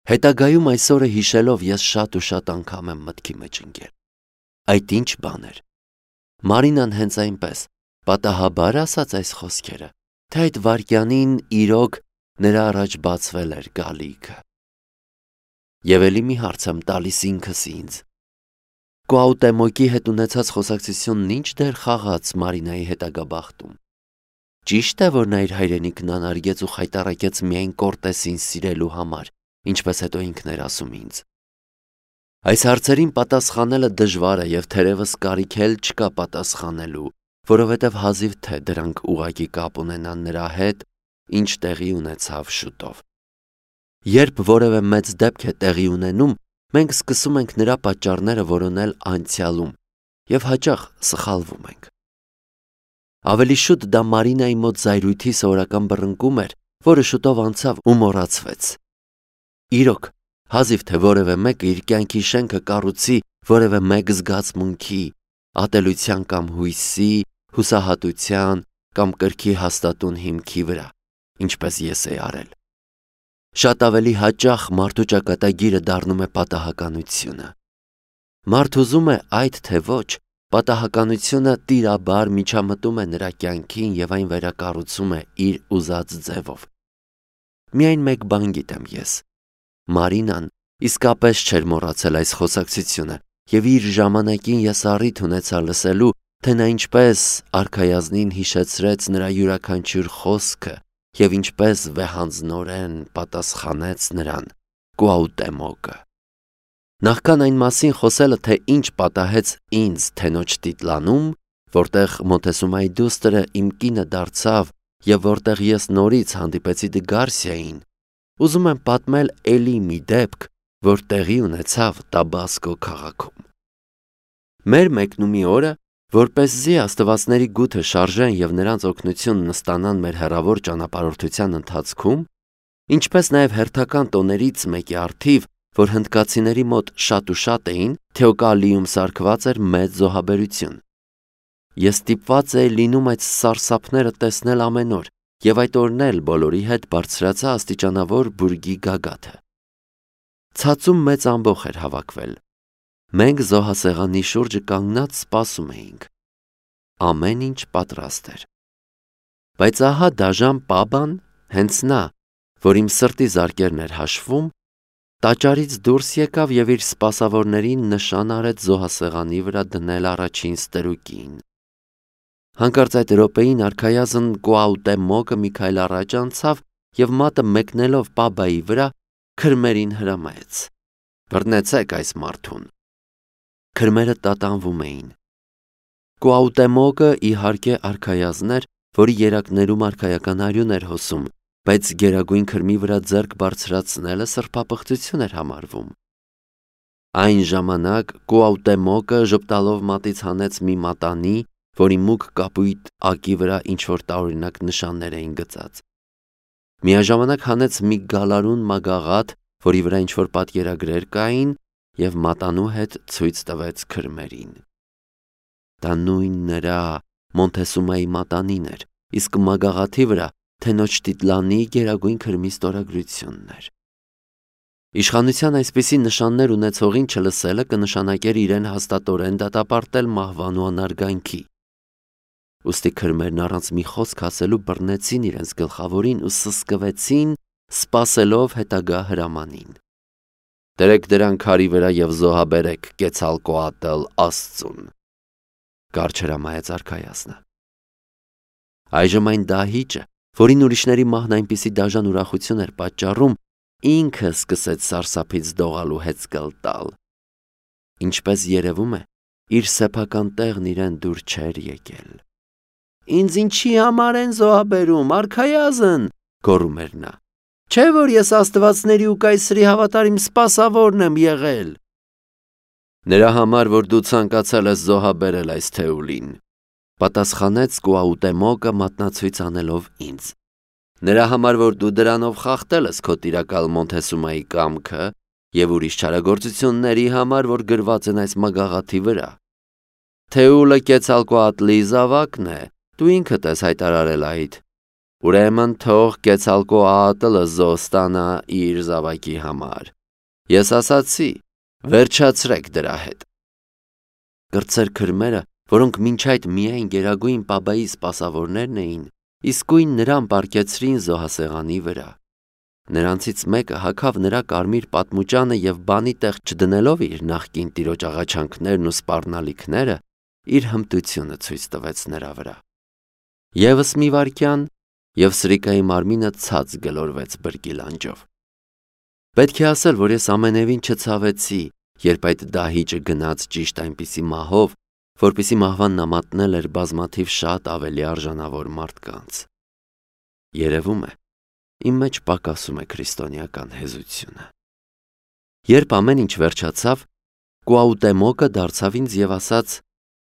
Հետագայում այս օրը հիշելով ես շատ ու շատ անգամ եմ մտքի մեջ ընկել։ Այդ ինչ բան էր։ Մարինան հենց այնպես պատահաբար ասաց այս խոսքերը, թե այդ վայրկյանին իրոք նրա առաջ բացվել էր գալիքը։ Եվ էլի մի հարց եմ տալիս ինքս ինձ. Կուաուտեմոկի հետ ունեցած խոսակցությունն ինչ դեր խաղաց Մարինայի հետագա բախտում։ Ճիշտ է, որ նա իր հայրենիքն անարգեց ու խայտառակեց միայն Կորտեսին սիրելու համար, ինչպես հետո ինքն էր ասում ինձ։ Այս հարցերին պատասխանելը դժվար է և թերևս կարիք էլ չկա պատասխանելու, որովհետև հազիվ թե դրանք ուղղակի կապ ունենան նրա հետ, ինչ տեղի ունեցավ շուտով։ Երբ որևէ մեծ դեպք է տեղի ունենում, մենք սկսում ենք նրա պատճառները որոնել անցյալում և հաճախ սխալվում ենք։ Ավելի շուտ դա Մարինայի մոտ զայրույթի սովորական բռնկում էր, որը շուտով անցավ ու մոռացվեց։ Իրոք, հազիվ թե որևէ մեկը իր կյանքի շենքը կառուցի որևէ մեկ զգացմունքի, ատելության կամ հույսի, հուսահատության կամ կրքի հաստատուն հիմքի վրա, ինչպես ես էի արել։ Շատ ավելի հաճախ մարդու ճակատագիրը դառնում է պատահականությունը։ Մարդ ուզում է այդ թե ոչ, պատահականությունը տիրաբար միջամտում է նրա կյանքին և այն վերակառուցում է իր ուզած ձևով։ Միայն մեկ բան գիտեմ ես. Մարինան իսկապես չէր մոռացել այս խոսակցությունը և իր ժամանակին ես առիթ ունեցա լսելու, թե նա ինչպես արքայազնին հիշեցրեց նրա յուրաքանչյուր խոսքը և ինչպես վեհանձնորեն պատասխանեց նրան Կուաուտեմոկը։ Նախքան այն մասին խոսելը, թե ինչ պատահեց ինձ Թենոչտիտլանում, որտեղ Մոնտեսումայի դուստրը իմ կինը դարձավ և որտեղ ես նորից հանդիպեցի Դգարսիային, ուզում եմ պատմել էլի մի դեպք, որ տեղի ունեցավ Տաբասկո քաղաքում։ Մեր մեկնումի օրը, որպեսզի աստվածների գութը շարժեն և նրանց օգնությունն ստանան մեր հեռավոր ճանապարհորդության ընթացքում, ինչպես նաև հերթական տոներից մեկի առթիվ, որ հնդկացիների մոտ շատ ու շատ էին, Թեոկալիում սարքված էր մեծ զոհաբերություն։ Ես ստիպված էի լինում այդ սարսափները տեսնել ամեն օր և այդ օրն էլ բոլորի հետ բարձրացա աստիճանավոր բուրգի գագաթը։ Ցածում մեծ ամբոխ էր հավաքվել։ Մենք զոհասեղանի շուրջը կանգնած սպասում էինք։ Ամեն ինչ պատրաստ էր։ Բայց ահա դաժան Պաբան, հենց նա, որ իմ սրտի զարկերն էր հաշվում, տաճարից դուրս եկավ և իր սպասավորներին նշան արեց զոհասեղանի վրա դնել առաջին ստրուկին։ Հանկարծ այդ րոպեին արքայազն Կուաուտեմոկը մի քայլ առաջ անցավ և մատը մեկնելով Պաբայի վրա քրմերին հրամայեց. «Բռնեցեք այս մարդուն»։ Քրմերը տատանվում էին։ Կուաուտեմոկը իհարկե արքայազն էր, որի երակներում արքայական արյուն էր հոսում, բայց գերագույն քրմի վրա ձեռք բարձրացնելը սրբապղծություն էր համարվում։ Այն ժամանակ Կուաուտեմոկը ժպտալով մատից հանեց մի մատանի, որի մուգ կապույտ ակի վրա ինչ-որ տարօրինակ նշաններ էին գծած։ Միաժամանակ հանեց մի գալարուն մագաղաթ, որի վրա ինչ-որ պատկերագրեր կային և մատանու հետ ցույց տվեց քրմերին։ Դա նույն նրա Մոնտեսումայի մատանին էր, իսկ մագաղաթի վրա Թենոչտիտլանի գերագույն քրմի ստորագրությունն էր։ Իշխանության այսպիսի նշաններ ունեցողին չլսելը կնշանակեր իրեն հաստատորեն դատապարտել մահվան ու անարգանքի։ Ուստի քրմերն առանց մի խոսք ասելու բռնեցին իրենց գլխավորին ու սսկվեցին, սպասելով հետագա հրամանին։ «Դրեք դրան քարի վրա և զոհաբերեք Կեցալկոատլ Աստծուն», կարճ հրամայեց արքայազնը։ Այժմ այն դահիճը, որին ուրիշների մահն այնպիսի դաժան ուրախություն էր պատճառում, ինքը սկսեց սարսափից դողալ ու հեծկլ տալ։ Ինչպես երևում է, իր սեփական տեղն իրեն դուր չէր եկել։ «Ինձ ինչի համար են զոհաբերում, արքայազն», գոռում էր նա։ «Չէ՞ որ ես աստվածների ու կայսրի հավատարիմ սպասավորն եմ եղել»։ «Նրա համար, որ դու ցանկացել ես զոհաբերել այս Թեուլին», պատասխանեց Կուաուտեմոկը մատնացույց անելով ինձ։ «Նրա համար, որ դու դրանով խախտել ես քո տիրակալ Մոնտեսումայի կամքը և ուրիշ չարագործությունների համար, որ գրված են այս մագաղաթի վրա։ Թեուլը Կեցալկոատլի զավակն է, դու ինքդ ես հայտարարել այդ»։ Ուրեմն թող Կեցալկոատլը զոստանա իր զավակի համար։ Ես ասացի, վերջացրեք դրա հետ։ Կրտսեր քրմերը, որոնք մինչ այդ միայն Գերագույն Պաբայի սպասավորներն էին, իսկույն նրան պառկեցրին զոհասեղանի վրա։ Նրանցից մեկը հագավ նրա կարմիր պատմուճանը և բանի տեղ չդնելով իր նախկին տիրոջ աղաչանքներն ու սպառնալիքները, իր հմտությունը ցույց տվեց նրա վրա։ Եվս մի վայրկյան, և սրիկայի մարմինը ցած գլորվեց բրգի լանջով։ Պետք է ասել, որ ես ամենևին չցավեցի, երբ այդ դահիճը գնաց ճիշտ այնպիսի մահով, որպիսի մահվան նամատնել էր բազմաթիվ շատ ավելի արժանավոր մարդկանց։ Երևում է, իմ մեջ պակասում է քրիստոնեական հեզությունը։ Երբ ամեն ինչ վերջացավ, Կուաուտեմոկը դարձավ ինձ և ասաց.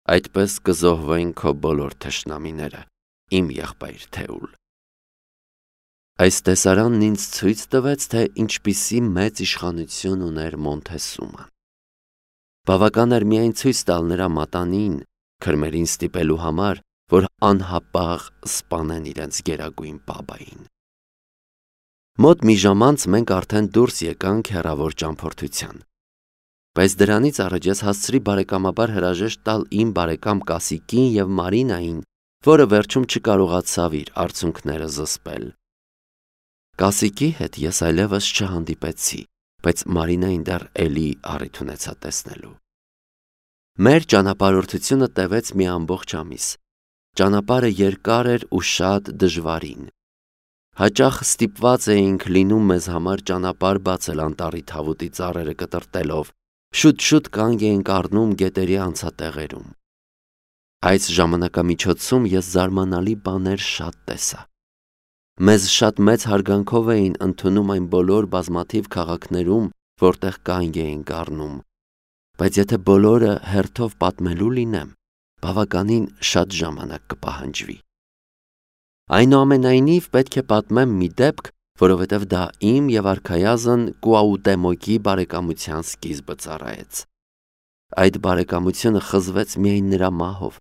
«Այդպես կզոհվեն քո բոլոր թշնամիները, իմ եղբայր Թեուլ»։ Այս տեսարանն ինձ ցույց տվեց, թե ինչպիսի մեծ իշխանություն ուներ Մոնթեսուման։ Բավական էր միայն ցույց տալ նրա մատանին, քրմերին ստիպելու համար, որ անհապաղ սպանեն իրենց Գերագույն Պաբային։ Մոտ մի ժամ անց մենք արդեն դուրս եկանք հեռավոր ճամփորդության։ Բայց դրանից առաջ ես հասցրի բարեկամաբար հրաժեշտ տալ իմ բարեկամ Կասիկին և Մարինային, որը վերջում չկարողացավ իր արցունքները զսպել։ Կասիկի հետ ես այլևս չհանդիպեցի, բայց Մարինային դեռ էլի առիթ ունեցա տեսնելու։ Մեր ճանապարհորդությունը տևեց մի ամբողջ ամիս։ Ճանապարհը երկար էր ու շատ դժվարին։ Հաճախ ստիպված էինք լինում մեզ համար ճանապարհ բացել անտառի թավուտի ծառերը կտրտելով, շուտ-շուտ կանգ էինք առնում գետերի անցատեղերում։ Այս ժամանակամիջոցում ես զարմանալի բաներ շատ տեսա։ Մեզ շատ մեծ հարգանքով էին ընդունում այն բոլոր բազմաթիվ քաղաքներում, որտեղ կանգ էինք առնում, բայց եթե բոլորը հերթով պատմելու լինեմ, բավականին շատ ժամանակ կպահանջվի։ Այնուամենայնիվ պետք է պատմեմ մի դեպք, որովհետև դա իմ և արքայազն Կուաուտեմոկի բարեկամության սկիզբը ծառայեց։ Այդ բարեկամությունը խզվեց միայն նրա մահով,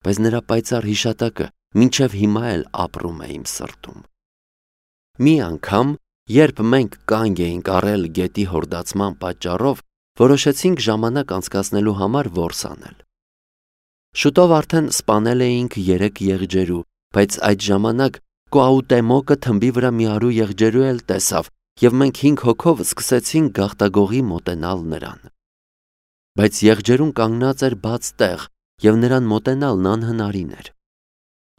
բայց նրա պայծառ հիշատակը մինչև հիմա էլ ապրում է իմ սրտում։ Մի անգամ, երբ մենք կանգ էինք առել գետի հորդացման պատճառով, որոշեցինք ժամանակ անցկացնելու համար որս անել։ Շուտով արդեն սպանել էինք 3 եղջերու, բայց այդ ժամանակ Կուաուտեմոկը թմբի վրա մի արու եղջերու էլ տեսավ, և մենք 5 հոգով սկսեցինք գաղտագողի մոտենալ նրան։ Բայց եղջերուն կանգնած էր բաց տեղ, և նրան մոտենալն անհնարին էր։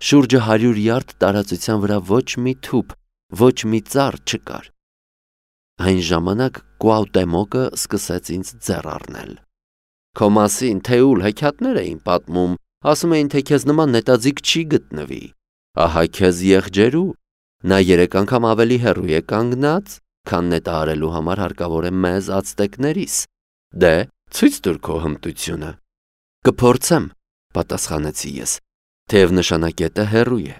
Շուրջը 100 յարդ տարածության վրա ոչ մի թուփ, ոչ մի ծառ չկար։ Այն ժամանակ Կուաուտեմոկը սկսեց ինձ ձեռ առնել։ Քո մասին Թեուլ հեքիաթներ էին պատմում, ասում էին, թե քեզ նման նետաձիգ չի գտնվի։ Ահա քեզ եղջերու։ Նա 3 անգամ ավելի հեռու է կանգնած, քան նետահարելու համար հարկավոր է մեզ ացտեկներիս։ Դե, ցույց տուր քո հմտությունը։ Կփորձեմ, պատասխանեցի ես, թեև նշանակետը հեռու է։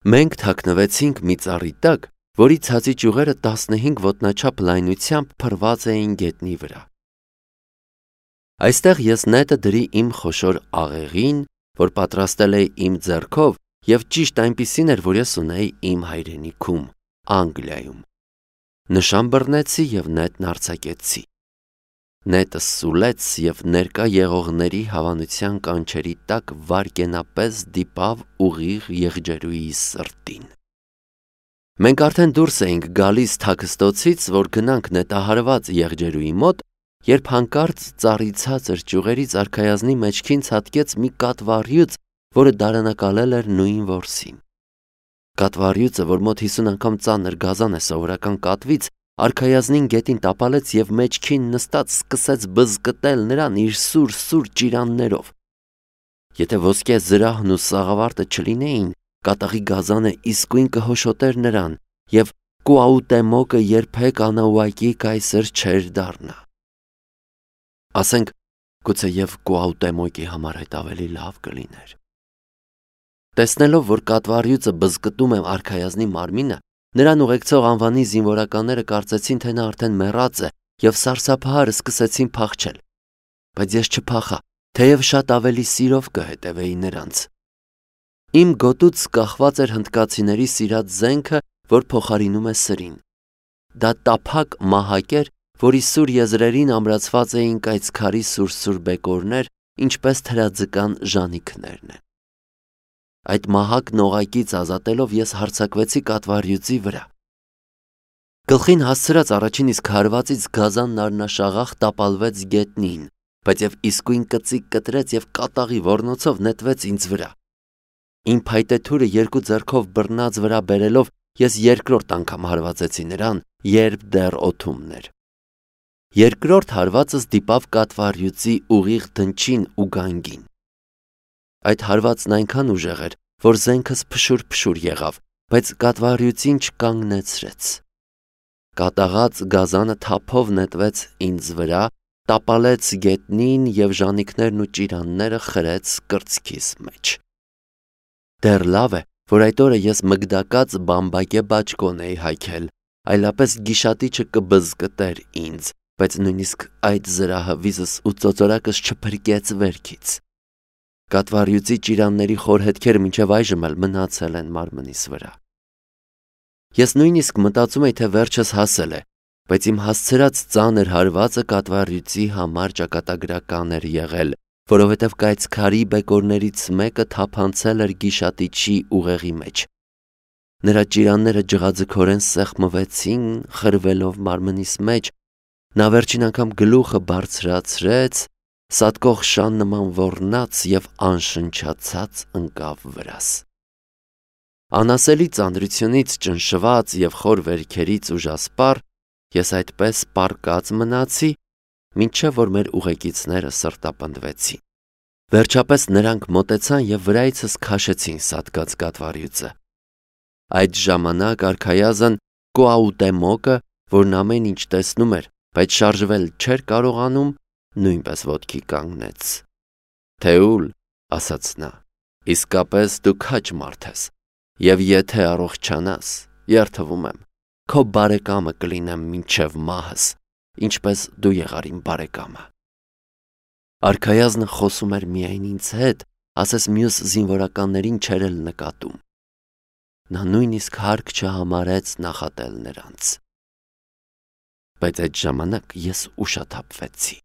Մենք թաքնվեցինք մի ծառի տակ, որի ցածի ճյուղերը 15 ոտնաչափ լայնությամբ փռված էին գետնի վրա։ Այստեղ ես նետը դրի իմ խոշոր աղեղին, որ պատրաստել էի իմ ձեռքով, և ճիշտ այնպիսին էր, որ ես ունեի իմ հայրենիքում, Անգլիայում։ Նշան բռնեցի և նետն արձակեցի։ Նետը սուլեց և ներկա եղողների հավանության կանչերի տակ վայրկենապես դիպավ ուղիղ եղջերուի սրտին։ Մենք արդեն դուրս էինք գալիս թաքստոցից, որ գնանք նետահարված եղջերուի մոտ, երբ հանկարծ ծառի ցածր ճյուղերից արքայազնի մեջքին ցատկեց մի կատվառյուծ, որը դարանակալել էր նույն որսին։ Կատվառյուծը, որ մոտ 50 անգամ ծանր գազան է սովորական կատվից, արքայազնին գետին տապալեց և մեջքին նստած սկսեց բզկտել նրան իր սուր ճիրաններով։ Եթե ոսկե զրահն ու սաղավարտը չլինեին, կատաղի գազանը իսկույն կհոշոտեր նրան, և Կուաուտեմոկը երբեք անաուակի կայսր չէր դառնա։ Ասենք, գուցեև Կուաուտեմոկի համար այդ ավելի լավ կլիներ։ Տեսնելով, որ կատվառյուծը բզկտում է արքայազնի մարմինը, նրան ուղեկցող անվանի զինվորականները կարծեցին, թե նա արդեն մեռած է, և սարսափահար սկսեցին փախչել։ Բայց ես չփախա, թեև շատ ավելի սիրով կհետևեի նրանց։ Իմ գոտուց կախված էր հնդկացիների սիրած զենքը, որ փոխարինում է սրին։ Դա տափակ մահակ էր, որի սուր եզրերին ամրացված էին կայծքարի սուր բեկորներ, ինչպես թրաձկան ժանիքներն են։ Այդ մահակն օղակից ազատելով ես հարձակվեցի կատվարյուծի վրա։ Գլխին հասցրած առաջին իսկ հարվածից գազանն առնաշաղախ տապալվեց գետնին, բայց եւ իսկույն կծիկ կտրեց եւ կատաղի ոռնոցով նետվեց ինձ վրա։ Իմ փայտե թուրը երկու ձեռքով բռնած վրա բերելով ես երկրորդ անգամ հարվածեցի նրան, երբ դեռ օդումն էր։ Երկրորդ հարվածս դիպավ կատվարյուծի ուղիղ դնչին ու գանգին։ Այդ հարվածն այնքան ուժեղ էր, որ զենքս փշուր եղավ, բայց կատվարյուծին չկանգնեցրեց։ Կատաղած գազանը թափով նետվեց ինձ վրա, տապալեց գետնին եւ ժանիքներն ու ճիրանները խրեց կրծքիս մեջ։ Դեռ լավ է, որ այդ օրը ես մգդակած բամբակե բաճկոն էի հայքել, այլապես գիշատիչը կբզկտեր ինձ, բայց նույնիսկ այդ զրահը վիզս ու ծոծորակս չփրկեց վերքից։ Կատվարյուծի ճիրանների խոր հետքերը մինչև այժմ էլ մնացել են մարմնիս վրա։ Ես նույնիսկ մտածում էի, թե վերջս հասել է, բայց իմ հասցրած ծանր հարվածը կատվարյուծի համար ճակատագրական էր եղել, որովհետև կայծքարի բեկորներից մեկը թափանցել էր գիշատիչի ուղեղի մեջ։ Նրա ճիրանները ջղաձգորեն սեղմվեցին, խրվելով մարմնիս մեջ, նա վերջին անգամ գլուխը բարձրացրեց, սատկող շան նման ոռնաց եւ անշնչացած ընկավ վրաս։ Անասելի ծանրությունից ճնշված եւ խոր վերքերից ուժասպառ ես այդպես պառկած մնացի, մինչև որ մեր ուղեկիցները սրտապնդվեցին։ Վերջապես նրանք մոտեցան եւ վրայիցս քաշեցին սատկած կատվարյուծը։ Այդ ժամանակ արքայազն Կոաուտեմոկը, որն ամեն ինչ տեսնում էր, բայց շարժվել չէր կարողանում, նույնպես ոտքի կանգնեց։ «Թեուլ», ասաց նա, «իսկապես դու քաջ մարդ ես, եւ եթե առողջանաս, երդվում եմ, քո բարեկամը կլինեմ մինչև մահս, ինչպես դու եղար իմ բարեկամը»։ Արքայազնը խոսում էր միայն ինձ հետ, ասես մյուս զինվորականներին չէր էլ նկատում։ Նա նույնիսկ հարկ չհամարեց նախատել նրանց։ Բայց այդ ժամանակ ես ուշաթափվեցի։